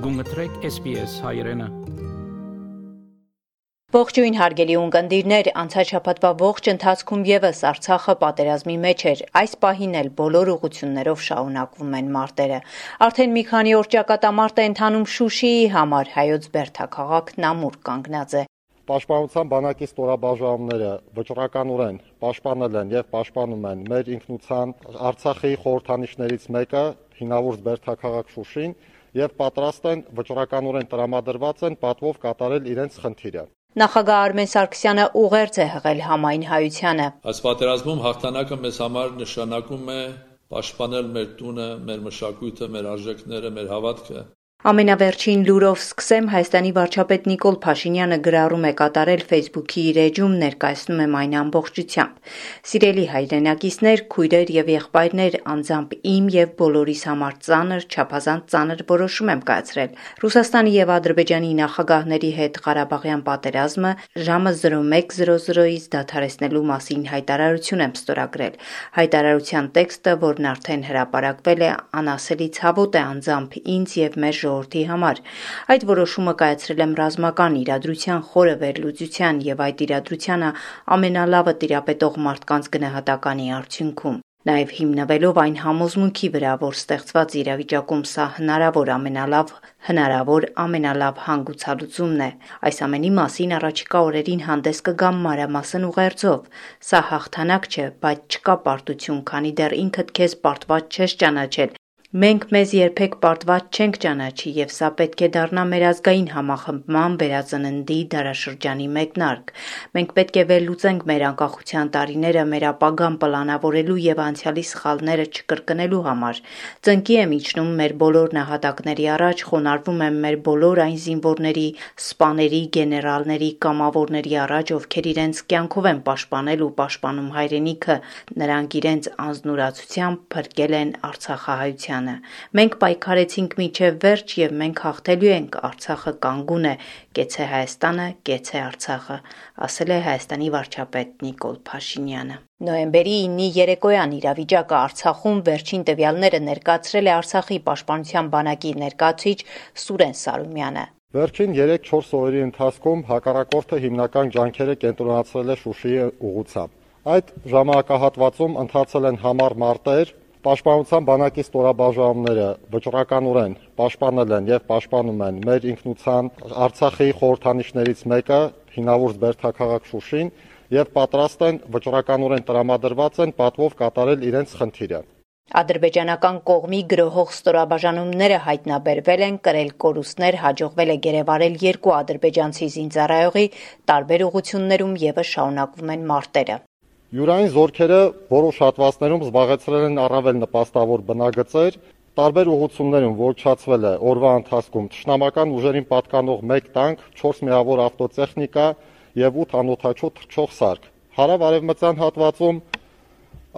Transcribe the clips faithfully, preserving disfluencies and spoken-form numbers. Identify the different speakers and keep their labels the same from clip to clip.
Speaker 1: Գունգտրեք S B S հայրենը։
Speaker 2: Ողջույն հարգելի ունկնդիրներ, անցած շաբաթվա ողջ ընթացքում եւս Արցախը պատերազմի մեջ էր, այս պահին էլ բոլոր ուղղություններով շարունակվում են մարտերը։ Արդեն մի քանի օր ճակատամարտ է ընթանում Շուշիի համար, հայոց բերդաքաղաքն ամուր կանգնած է։
Speaker 3: Պաշտպանության բանակի ստորաբաժանումները վճռականորեն պաշտպանել են եւ պաշտպանում են մեր ինքնության Արցախի խորհրդանիշներից մեկը, հինավուրց բերդաքաղաք Շուշին, եւ պատրաստ են վճռականորեն տրամադրված են պատվով կատարել իրենց խնդիրը։
Speaker 2: Նախագահ Արմեն Սարգսյանը ուղերձ է հղել համայն հայությանը։
Speaker 4: Այս պատերազմում հաղթանակը մեզ համար նշանակում է պաշտպանել մեր տունը, մեր մշակույթը, մեր արժեքները, մեր հավատքը։
Speaker 2: Ամենավերջին լուրով սկսեմ, Հայաստանի վարչապետ Նիկոլ Փաշինյանը գրառում է կատարել Facebook-ի իր էջում, ներկայացնում եմ այն ամբողջությամբ։ Սիրելի հայրենակիցներ, քույրեր եւ եղբայրներ, անձամբ իմ եւ բոլորիս համար ծանր, չափազանց ծանր որոշում եմ կայացրել։ Ռուսաստանի եւ Ադրբեջանի նախագահների հետ Ղարաբաղյան պատերազմը ժամը զրո մեկ զրո զրոից դադարեցնելու մասին հայտարարություն եմ ստորագրել։ Հայտարարության տեքստը, որն արդեն հրապարակվել է, անասելի ցավոտ է անձամբ ինձ եւ մեր ժողովրդի համար։ Այդ որոշումը կայացրել եմ ռազմական իրադրության խորը վերլուծության եւ այդ իրադրությանը ամենալավը տիրապետող մարդկանց գնահատականի արդյունքում։ Նաև հիմնվելով այն համոզմունքի վրա, որ ստեղծված իրավիճակում սա հնարավոր ամենալավ, հնարավոր ամենալավ հանգուցալուծումն է։ Այս ամենի մասին առաջիկա օրերին հանդես կգամ մանրամասն ուղերձով։ Սա հաղթանակ չէ, բայց չկա պարտություն, քանի դեռ ինքդ քեզ պարտված չես ճանաչել։ Մենք մեզ երբեք պարտված չենք ճանաչի եւ սա պետք է դառնա մեր ազգային համախմբման վերածննդի դարաշրջանի մեկնարկ։ Մենք պետք է վերլուծենք մեր անկախության տարիները մեր ապագան պլանավորելու եւ անցյալի սխալները չկրկնելու համար։ Ծնկի եմ իջնում մեր բոլոր նահատակների առաջ, խոնարհվում եմ մեր բոլոր այն զինվորների, սպաների, գեներալների, կամավորների առաջ, ովքեր իրենց կյանքով են պաշտպանել ու պաշտպանում հայրենիքը, նրանք իրենց անձնուրացությամբ փրկել են արցախահայությանը։ Մենք պայքարեցինք մինչև վերջ եւ մենք հաղթելու ենք, Արցախը կանգուն է, կեցե Հայաստանը, կեցե Արցախը, ասել է Հայաստանի վարչապետ Նիկոլ Փաշինյանը։ Նոյեմբերի ինի երեկոյան իրավիճակը Արցախում վերջին տվյալները ներկայացրել է Արցախի պաշտպանության բանակի ներկայացուցիչ Սուրեն Սարումյանը։
Speaker 3: Վերջին երեք-չորս օրերի ընթացքում հակառակորդը հիմնական ջանքերը կենտրոնացրել է Շուշիի ուղղությամբ։ Այդ ժամանակահատվածում ընթացել են համառ մարտեր, Պաշտպանության բանակի ստորաբաժանումները վճռականորեն պաշտպանել են եւ պաշտպանում են մեր ինքնության Արցախի խորհրդանիշներից մեկը, հինավուրց բերդաքաղաք Շուշին, եւ պատրաստ են վճռականորեն տրամադրված են պատվով կատարել իրենց խնդիրը։
Speaker 2: Ադրբեջանական կողմի գրոհող ստորաբաժանումները հայտնաբերվել են, կրել կորուստներ, հաջողվել է գերեվարել երկու ադրբեջանցի զինծառայողի, տարբեր ուղղություններում եւս շարունակվում են մարտերը։
Speaker 3: Յուրային զորքերը որոշ հատվածներում զբաղեցրել են առավել նպաստավոր բնագծեր, տարբեր ուղղություններում ոչնչացվել է օրվա ընթացքում թշնամական ուժերին պատկանող մեկ տանկ, չորս միավոր ավտոտեխնիկա եւ ութ անօդաչու թռչող սարք։ Հարավ-արևմտյան հատվածում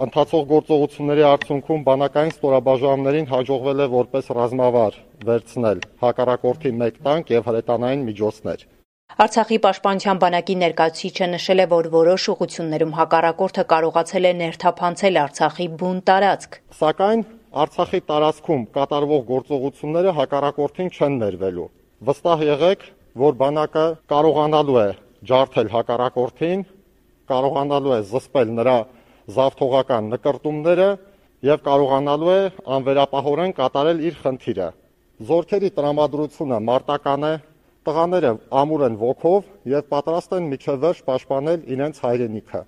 Speaker 3: ընթացող գործողությունների արդյունքում բանակային ստորաբաժանումներին հաջողվել է որպես ռազմավար վերցնել հակառակորդի մեկ տանկ եւ հրետանային միջոցներ։
Speaker 2: Արցախի պաշտպանության բանակի ներկայացուցիչը նշել է, որ որոշ ուղղություններում հակառակորդը կարողացել է ներթափանցել Արցախի բուն տարածք։
Speaker 3: Սակայն Արցախի տարածքում կատարվող գործողությունները հակառակորդին չեն ներվելու։ Վստահ եղեք, որ բանակը կարողանալու է ջարդել հակառակորդին, կարողանալու է զսպել նրա զավթողական նկրտումները եւ կարողանալու է անվերապահորեն կատարել իր խնդիրը։ Զորքերի տրամադրությունը մարտական է, տղաները ամուր են ոգով եւ պատրաստ են միջև վերջ պաշտպանել իրենց հայրենիքը,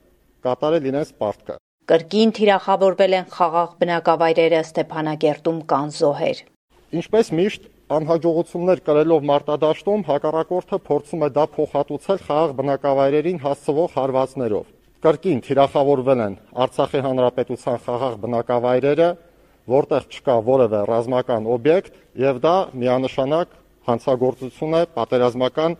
Speaker 3: կատարել իրենց պարտքը։
Speaker 2: Կրկին թիրախավորվել են խաղաղ բնակավայրերը, Ստեփանակերտում կան զոհեր։
Speaker 3: Ինչպես միշտ անհաջողություններ կրելով մարտադաշտում հակառակորդը փորձում է դա փոխհատուցել խաղաղ բնակավայրերին հասցվող հարվածներով։ Կրկին թիրախավորվել են Արցախի հանրապետության խաղաղ բնակավայրերը, որտեղ չկա որևէ ռազմական օբյեկտ եւ դա միանշանակ հանցագործություն է պատերազմական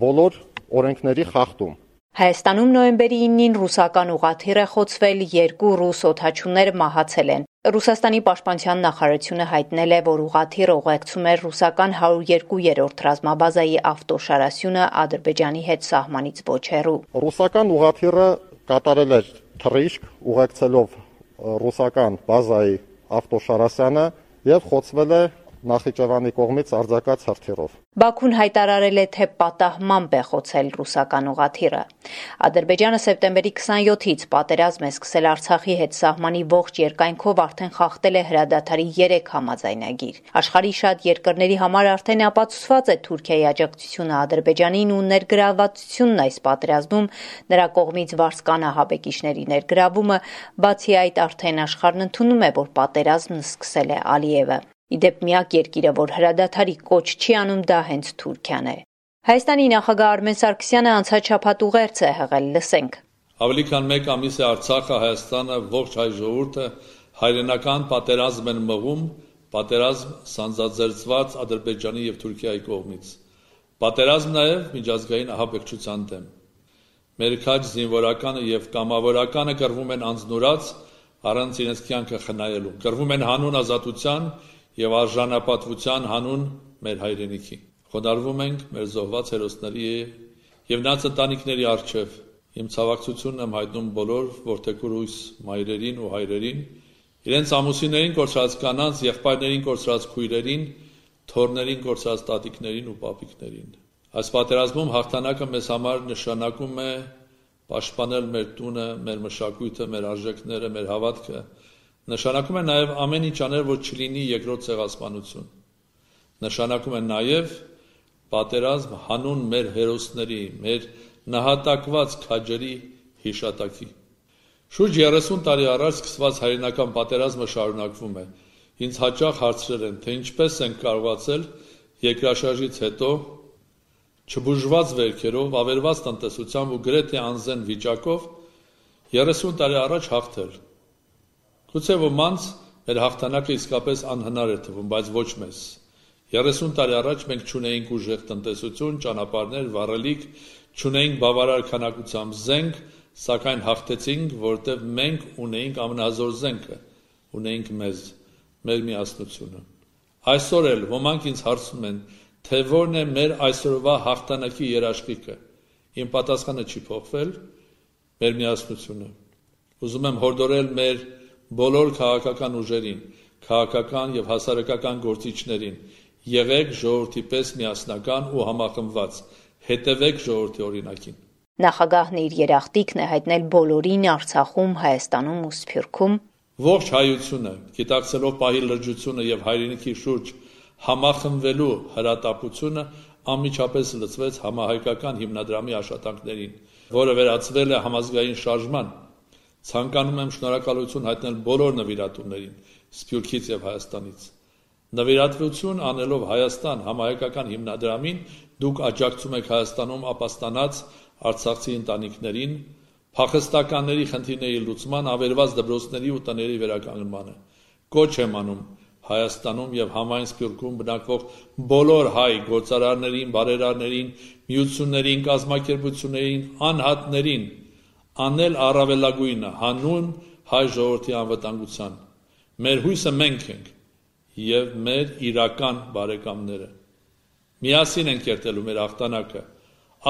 Speaker 3: բոլոր օրենքների խախտում։
Speaker 2: Հայաստանում նոյեմբերի ինին ռուսական ուղղաթիռ է խոցվել, երկու ռուս օդաչուներ մահացել են։ Ռուսաստանի պաշտպանության նախարարությունը հայտնել է, որ ուղղաթիռը ուղեկցում էր ռուսական հարյուր երկու-րդ ռազմաբազայի ավտոշարասյունը Ադրբեջանի հետ սահմանից ոչ հեռու։
Speaker 3: Ռուսական ուղղաթիռը կատարել էր թռիչք, ուղեկցելով ռուսական բազայի ավտոշարասյանը եւ խոցվել է Նախիջևանի կողմից արձակած հրթիռով։
Speaker 2: Բաքուն հայտարարել է, թե պատահմամբ է խոցել ռուսական ուղղաթիռը։ Ադրբեջանը սեպտեմբերի քսանյոթից պատերազմ է սկսել Արցախի հետ սահմանի ողջ երկայնքով արդեն խախտել է հրադադարի երեք համաձայնագիր։ Աշխարհի շատ երկրների համար արդեն ապացուցված է Թուրքիայի աջակցությունը Ադրբեջանին ու ներգրավվածությունն այս պատերազմում, նրա կողմից վարձկան ահաբեկիչների ներգրավումը, բացի այդ արդեն աշխարհն ընդունում է, որ պատերազմն սկսել է Ալիևը։ Իդեպ միակ երկիրը, որ հրադադարի կոչ չի անում, դա հենց Թուրքիան է։ Հայաստանի նախագահ Արմեն Սարգսյանը անցած շաբաթ ուղերձ է հղել, լսենք։
Speaker 4: Ավելի քան մեկ ամիս է Արցախը, Հայաստանը, ողջ հայ ժողովուրդը հայրենական պատերազմ են մղում, պատերազմ սանձազերծված Ադրբեջանի եւ Թուրքիայի կողմից։ Պատերազմ նաեւ միջազգային ահաբեկչության դեմ։ Մեր քաջ զինվորականը եւ կամավորականը կռվում են անձնուրաց, առանց իրենց կյանքը խնայելու։ Կռվում են հանուն ազատության եւ արժանապատվության հանուն մեր հայրենիքի։ Խոնարհվում ենք մեր զոհված հերոսների եւ նրանց ընտանիքների առջեւ։ Իմ ցավակցությունն եմ հայտնում բոլոր որդեգուրույս մայրերին ու հայրերին, իրենց ամուսիններին կորցրած կանանց, եղբայրներին կորցրած քույրերին, թոռներին կորցրած տատիկներին ու պապիկներին։ Այս պատերազմում հաղթանակը մեզ համար նշանակում է պաշտպանել մեր տունը, մեր մշակույթը, մեր արժեքները, մեր հավատքը։ Նշանակում է նաև ամեն ինչ անել, որ չլինի երկրորդ ցեղասպանություն։ Նշանակում է նաև պատերազմ հանուն մեր հերոսների, մեր նահատակված քաջերի հիշատակի։ Շուրջ երեսուն տարի առաջ սկսված հայրենական պատերազմը շարունակվում է։ Ինձ հաճախ հարցրել են, թե ինչպես են կարողացել երկրաշարժից հետո չբուժված վերքերով, ավերված տնտեսությամբ ու գրեթե անզեն վիճակով երեսուն տարի առաջ հաղթել։ Գուցե ոմանց մեր հաղթանակը իսկապես անհնար է թվում, բայց ոչ մեզ։ երեսուն տարի առաջ մենք չունեինք ուժեղ տնտեսություն, ճանապարհներ, վառելիք, չունեինք բավարար քանակությամբ զենք, սակայն հաղթեցինք, որտեղ մենք ունեինք ամենազոր զենքը, ունեինք մեզ, մեր միասնությունը։ Այսօր էլ ոմանք ինձ հարցնում են, թե որն է մեր այսօրվա հաղթանակի երաշխիքը։ Իմ պատասխանը չի փոխվել, մեր միասնությունը։ Ուզում եմ հորդորել մեր բոլոր քաղաքական ուժերին, քաղաքական եւ հասարակական գործիչներին, եղեք ժողովրդի պես միասնական ու համախմբված, հետևեք ժողովրդի օրինակին։
Speaker 2: Նախագահն իր երախտիկն է հայտնել բոլորին Արցախում, Հայաստանում ու Սփյուռքում։
Speaker 4: Ողջ հայությունը, գիտակցելով պահի լրջությունը եւ հայրենիքի շուրջ համախմբվելու հրատապությունը անմիջապես լծվեց համահայկական հիմնադրամի աշխատանքներին, որը վերածվել է համազգային շարժման։ Ցանկանում եմ շնորհակալություն հայտնել բոլոր նվիրատուներին Սփյուռքից եւ Հայաստանից։ Նվիրատվություն անելով Հայաստան համահայկական հիմնադրամին դուք աջակցում եք Հայաստանում ապաստանած արցախցի ընտանիքներին, փախստականների խնդիրների լուծման, ավերված դպրոցների ու տների վերականգնմանը։ Կոչ եմ անում Հայաստանում եւ համայն Սփյուռքում բնակվող բոլոր հայ գործարարներին, բարերարներին, միություններին, կազմակերպություններին, անհատներին անել առավելագույնը հանուն հայ ժողովրդի անվտանգության։ Մեր հույսը մենք ենք եւ մեր իրական բարեկամները։ Միասին ենք կերտելու մեր հաղթանակը։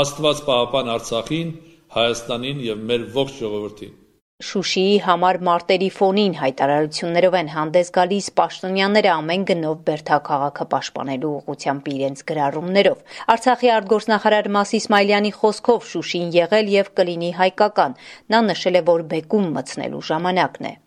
Speaker 4: Աստված պահապան Արցախին, Հայաստանին եւ մեր ողջ ժողովրդին։
Speaker 2: Շուշիի համար մարտերի ֆոնին հայտարարություններով են հանդես գալիս պաշտոնյաները ամեն գնով բերդաքաղաքը պաշտպանելու ուղղությամբ իրենց գրառումներով։ Արցախի արտգործնախարար Մաս Իսմայլյանի խոսքով Շուշին եղել եւ կլինի հայկական։ Նա նշել է, որ բեկում մտցնելու ժամանակն է։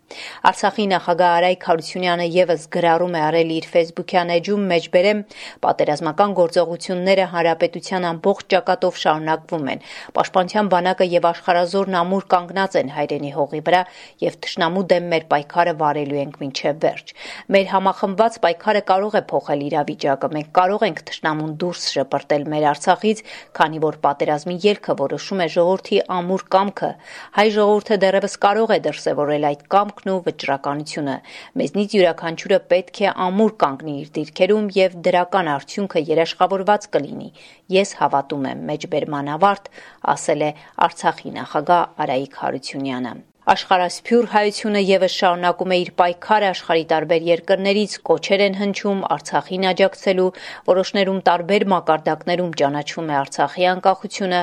Speaker 2: Արցախի նախագահ Արայք Հարությունյանը եւս գրառում է արել իր ֆեյսբուքյան էջում, մեջբերեմ պատերազմական գործողությունները հանրապետության ամբողջ ճակատով շարունակվում են։ Պաշտպանության բանակը եւ աշխարհազորն ամուր կանգնած են հայրենի հողի վրա եւ թշնամու դեմ մեր պայքարը վարելու ենք մինչեւ վերջ։ Մեր համախմբված պայքարը կարող է փոխել իրավիճակը։ Մենք կարող ենք թշնամուն դուրս շպրտել մեր Արցախից, քանի որ պատերազմի ելքը որոշում է ժողովրդի ամուր կամքը։ Հայ ժողովուրդը դեռևս կարող է դրսևորել այդ կամքը ու վճռականությունը։ Մեզնից յուրաքանչյուրը պետք է ամուր կանգնի իր դիրքերում եւ դրական արդյունքը երաշխավորված կլինի։ Ես հավատում եմ, մեջբերման ավարտ, ասել է Արցախի նախագահ Արայիկ Հարությունյանը։ Աշխարհասփյուր հայությունը եւս շարունակում է իր պայքարը աշխարհի տարբեր երկրներից, կոչեր են հնչում Արցախին աջակցելու, որոշներում տարբեր մակարդակներում ճանաչվում է Արցախի անկախությունը,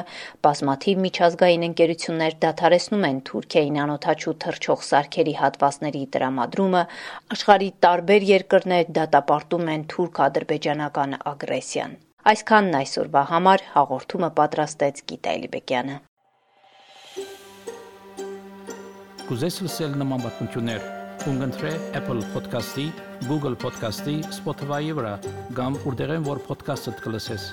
Speaker 2: բազմաթիվ միջազգային ընկերություններ դադարեցնում են Թուրքիային անօդաչու թռչող սարքերի հատվածների տրամադրումը, աշխարհի տարբեր երկրներ դատապարտում են թուրք-ադրբեջանական ագրեսիան։ Այսքանն այսօրվա համար հաղորդումը պատրաստեց Գիտա Էլիբեկյանը։
Speaker 1: Կուզես լսել նման բանություններ, կընտրե Apple Podcast-ի, Google Podcast-ի, Spotify-ի վրա, կամ որտեղեն որ podcast-ը դուք լսես։